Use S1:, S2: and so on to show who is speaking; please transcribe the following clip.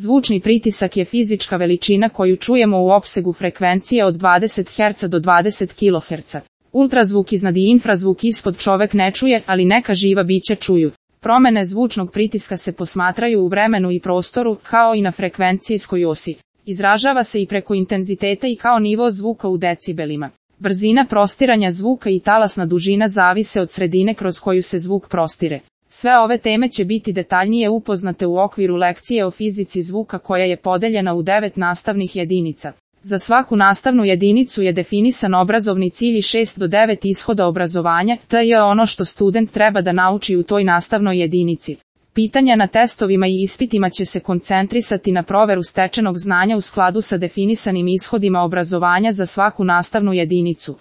S1: Zvučni pritisak je fizička veličina koju čujemo u opsegu frekvencije od 20 Hz do 20 kHz. Ultrazvuk iznad i infrazvuk ispod čovek ne čuje, ali neka živa bića čuju. Promene zvučnog pritiska se posmatraju u vremenu i prostoru, kao i na frekvencijskoj osi. Izražava se i preko intenziteta i kao nivo zvuka u decibelima. Brzina prostiranja zvuka i talasna dužina zavise od sredine kroz koju se zvuk prostire. Sve ove teme će biti detaljnije upoznate u okviru lekcije o fizici zvuka koja je podeljena u 9 nastavnih jedinica. Za svaku nastavnu jedinicu je definisan obrazovni cilj i 6 do 9 ishoda obrazovanja, to je ono što student treba da nauči u toj nastavnoj jedinici. Pitanja na testovima i ispitima će se koncentrisati na proveru stečenog znanja u skladu sa definisanim ishodima obrazovanja za svaku nastavnu jedinicu.